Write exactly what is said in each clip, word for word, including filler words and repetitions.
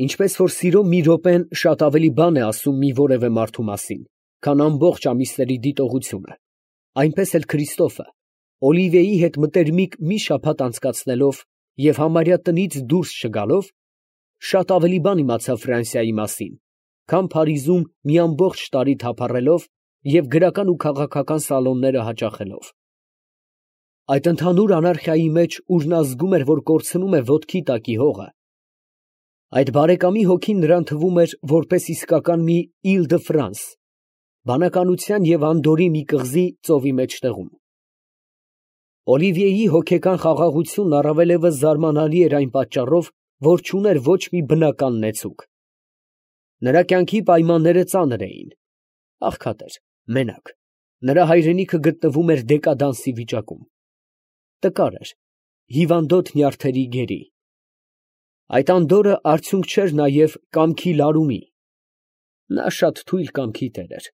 Ինչպես որ սիրո մի րոպեն շատ ավելի բան է ասում մի որևէ մարդու մասին, քան ամբողջ ամիսների դիտողությունը, այնպես էլ Քրիստոֆը, Օլիվիեի հետ մտերմիկ մի շաբաթ անցկացնելով և համարյա տնից դուրս չգալով, շատ ավելի բան իմացավ Ֆրանսիայի մասին, քան Փարիզում մի ամբողջ տարի թափառելով և գրական ու քաղաքական սալոնները հաճախելով։ Այդ ընդհանուր անարխիայի մեջ, ուր նա զգում էր, որ կորցնում է ոտքի տակի հողը, այդ բարեկամի հոգին նրան թվում էր որպես իսկական մի Իլ դը Ֆրանս, բանականության և անդորրի մի կղզի ծովի մեջտեղում։ Օլիվիեի հոգեկան խաղաղությունն առավելևս զարմանալի էր այն պատճառով, որ չուներ ոչ մի բնական նեցուկ։ Նրա կյանքի պայմանները ծանր էին, աղքատ էր, մենակ, նրա հայրենիքը գտնվում էր դեկադանսի վիճակում, տկար էր, հիվանդոտ նյարդերի գերի։ Այդ անդորրը արդյունք չէր նաև կամքի լարումի, նա շատ թույլ կամքի տեր էր,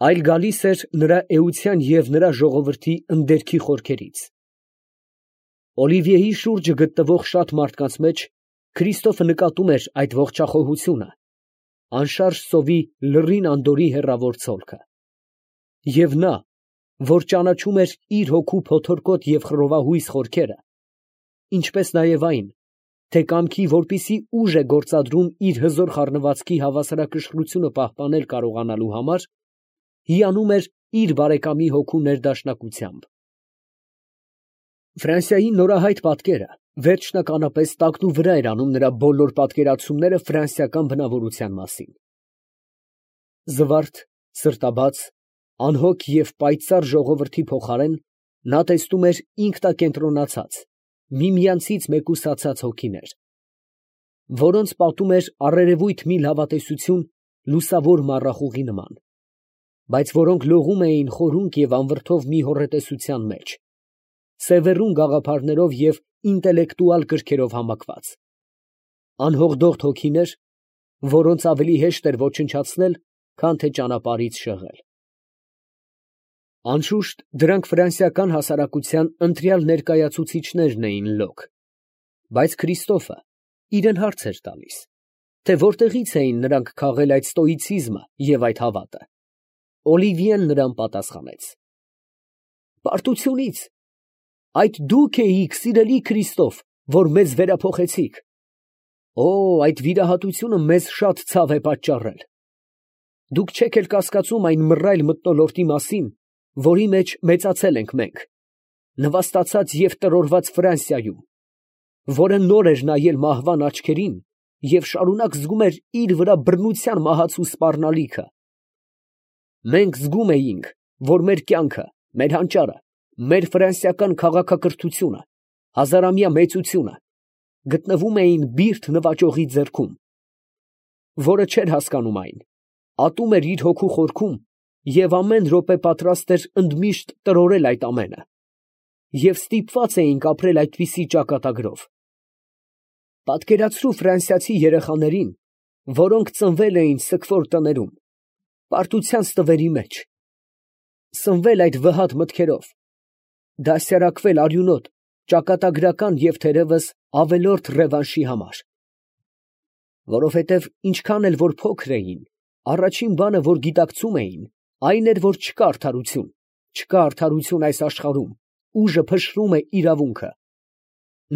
այլ գալիս էր նրա էության և նրա ժողովրդի ընդերքի խորքերից։ Օլիվիեի շուրջը գտնվող շատ մարդկանց մեջ Քրիստոֆը նկատում էր այդ ողջախոհությունը, անշարժ սովի լռին անդորրի հեռավոր ցոլքը։ Եվ նա, որ ճանաչում էր իր հոգու փոթորկոտ և խռովահույս խորքերը, ինչպես նաև այն, թե կամքի որպիսի ուժ է գործադրում իր հզոր խառնվածքի հավասարակշռությունը պահպանել կարողանալու համար, հիանում էր իր բարեկամի հոգու ներդաշնակությամբ։ Ֆրանսիայի նորահայտ պատկերը վերջնականապես տակնուվրա էր անում նրա բոլոր պատկերացումները ֆրանսիական բնավորության մասին։ Զվարթ, սրտաբաց, անհոգ և պայծառ ժողովրդի փոխարեն նա տեսնում էր ինքնակենտրոնացած, միմյանցից մեկուսացած հոգիներ, որոնց պատում էր առերևույթ մի լավատեսություն լուսավոր մառախուղի նման, բայց որոնք լողում էին խորունկ և անվրդով մի հոռետեսության մեջ, սևեռուն գաղափարներով և ինտելեկտուալ կրքերով համակված, անհողդողդ հոգիներ, որոնց ավելի հեշտ էր ոչնչացնել, քան թե ճանապարհից շեղել։ Անշուշտ, դրանք ֆրանսիական հասարակության ընտրյալ ներկայացուցիչներն էին լոկ, բայց Քրիստոֆը իրան հարց էր տալիս, թե որտեղից էին նրանք քաղել այդ ստոիցիզմը և այդ հավատը։ Օլիվիեն նրան պատասխանեց. «Պարտությունից, այդ դուք էիք, սիրելի Քրիստոֆ, որ մեզ վերափոխեցիք։ Օ, այդ վիրահատությունը մեզ շատ ցավ է պատճառել։ Դուք չեք էլ կասկածում այն մռայլ մթնոլորտի մասին, որի մեջ մեծացել ենք մենք, նվաստացած և տրորված Ֆրանսիայում, որը նոր էր նայել մահվան աչքերին և շարունակ զգում էր իր վրա բռնության մահացու սպառնալիքը։ Մենք զգում էինք, որ մեր կյանքը, մեր հանճարը, մեր ֆրանսիական քաղաքակրթությունը, հազարամյա մեծությունը գտնվում էին բիրտ նվաճողի ձեռքում, որը չէր հասկանում այն, ատում էր իր հոգու խորքում և ամեն րոպե պատրաստ էր ընդմիշտ տրորել այդ ամենը, և ստիպված էինք ապրել այդպիսի ճակատագրով։ Պատկերացրու ֆրանսիացի երեխաներին, որոնք ծնվել էին սգվոր տներում, պարտության ստվերի մեջ, սնվել այդ վհատ մտքերով, դաստիարակվել արյունոտ, ճակատագրական և թերևս ավելորդ ռևանշի համար։ Որովհետև ինչքան էլ որ փոքր էին, առաջին բանը, որ գիտակցում էին, այն էր, որ չկա արդարություն, չկա արդարություն այս աշխարհում, ուժը փշրում է իրավունքը։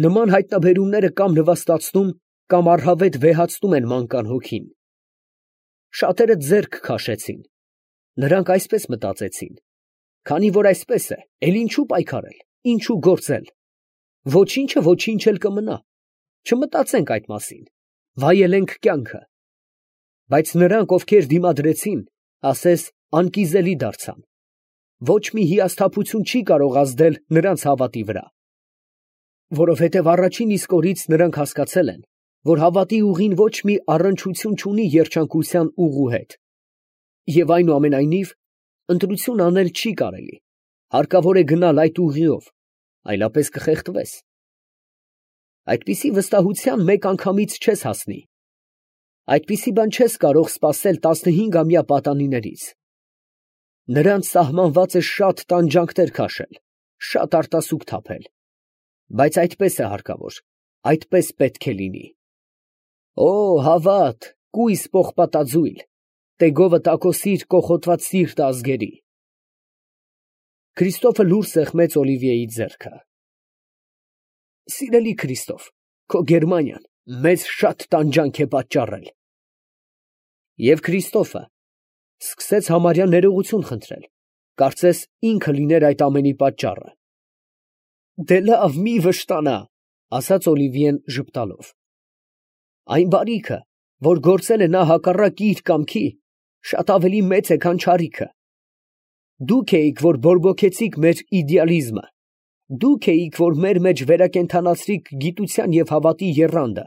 Նման հայտնաբերումները կամ նվաստացնում, կամ առհավետ վեհացնում են մանկան հոգին։ Շատերը ձեռք քաշեցին, նրանք այսպես մտածեցին. քանի որ այսպես է, էլ ինչու պայքարել, ինչու գործել, ոչինչը ոչինչ էլ կմնա, չմտածենք այդ մասին, վայելենք կյանքը։ Բայց նրանք, ովքեր դիմադրեցին, ասես անկիզելի դարձան, ոչ մի հիասթափություն չի կարող ազդել նրանց հավատի վրա, որովհետև առաջին իսկ օրից նրանք հասկացել են, որ հավատի ուղին ոչ մի առնչություն չունի երջանկության ուղու հետ, և այնուամենայնիվ ընտրություն անել չի կարելի, հարկավոր է գնալ այդ ուղիով, այլապես կխեղդվես։ Այդպիսի վստահության մեկ անգամից չես հասնի, այդպիսի բան չես կարող սպասել տասնհինգամյա պատանիներից։ Նրանց սահմանված է շատ տանջանքներ քաշել, շատ արտասուք թափել, բայց այդպես է հարկավոր, այդպես պետք է լինի։ Օ, հավատ, կույս պողպատաձույլ, տեգովը տակոսիր կոխոտված սիրտ ազգերի։ Քրիստոֆը լուր սեղմեց Օլիվիեի ձեռքը։ Սիրելի Քրիստոֆ, քո Գերմանիան մեզ շատ տանջանք է պատճառել։ Եվ Քրիստոֆը սկսեց համարյա ներողություն խնդրել, կարծես ինքը լիներ այդ ամենի պատճառը։ Դե լավ, մի վշտանա, ասաց Օլիվիեն ժպտալով։ Այն բարիքը, որ գործել է նա հակառակ իր կամքի, շատ ավելի մեծ է, քան չարիքը։ Դուք էիք, որ բորբոքեցիք մեր իդեալիզմը, դուք էիք, որ մեր մեջ վերակենդանացրիք գիտության և հավատի եռանդը,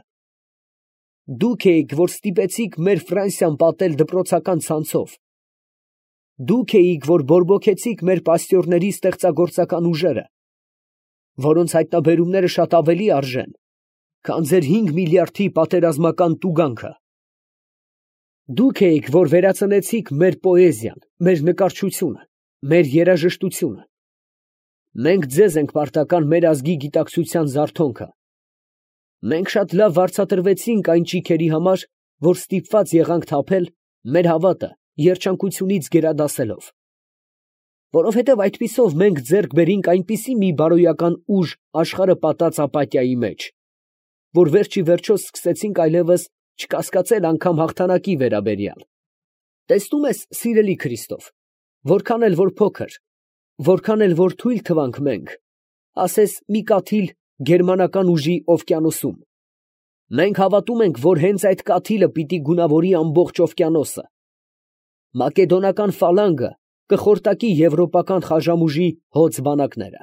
դուք էիք, որ ստիպեցիք մեր Ֆրանսիան պատել դպրոցական ցանցով, դուք էիք, որ բորբոքեցիք մեր պաստյորների ստեղծագործական ուժերը, որոնց հայտնաբերումները շատ ավելի արժեն, քան ձեր հինգ միլիարդի պատերազմական տուգանքը։ Դուք էիք, որ վերածնեցիք մեր պոեզիան, մեր նկարչությունը, մեր երաժշտությունը։ Մենք ձեզ ենք պարտական մեր ազգի գիտակցության զարթոնքը։ Մենք շատ լավ վարձատրվեցինք այն ճիգերի համար, որ ստիպված եղանք թափել մեր հավատը երջանկությունից գերադասելով։ Որովհետև այդպիսով մենք ձեռք բերինք այնպիսի մի բարոյական ուժ աշխարհը պատած ապաթիայի մեջ, որ վերջի վերջո սկսեցինք այլևս չկասկածել անգամ հաղթանակի վերաբերյալ։ Տեսնում ես, սիրելի Քրիստոֆ, որքան էլ որ փոքր, որքան էլ որ թույլ թվանք մենք, ասես մի կաթիլ գերմանական ուժի օվկիանոսում, մենք հավատում ենք, որ հենց այդ կաթիլը պիտի գունավորի ամբողջ օվկիանոսը։ Մակեդոնական ֆալանգը կխորտակի եվրոպական խաժամուժի հոծ բանակները։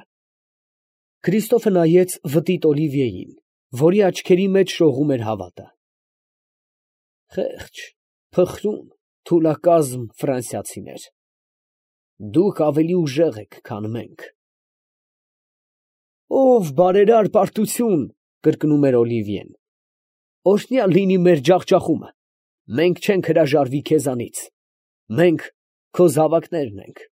Քրիստոֆը նայեց վտիտ Օլիվիեին, որի աչքերի մեջ շողում էր հավատը։ Խեղճ, փխրուն, թուլակազմ ֆրանսիացիներ, դուք ավելի ուժեղ եք, քան մենք։ Ով բարերար պարտություն, կրկնում էր Օլիվիեն, օրհնյալ լինի մեր ջախջախումը, մենք չենք հրաժարվի քեզանից, մենք քո զավակներն ենք։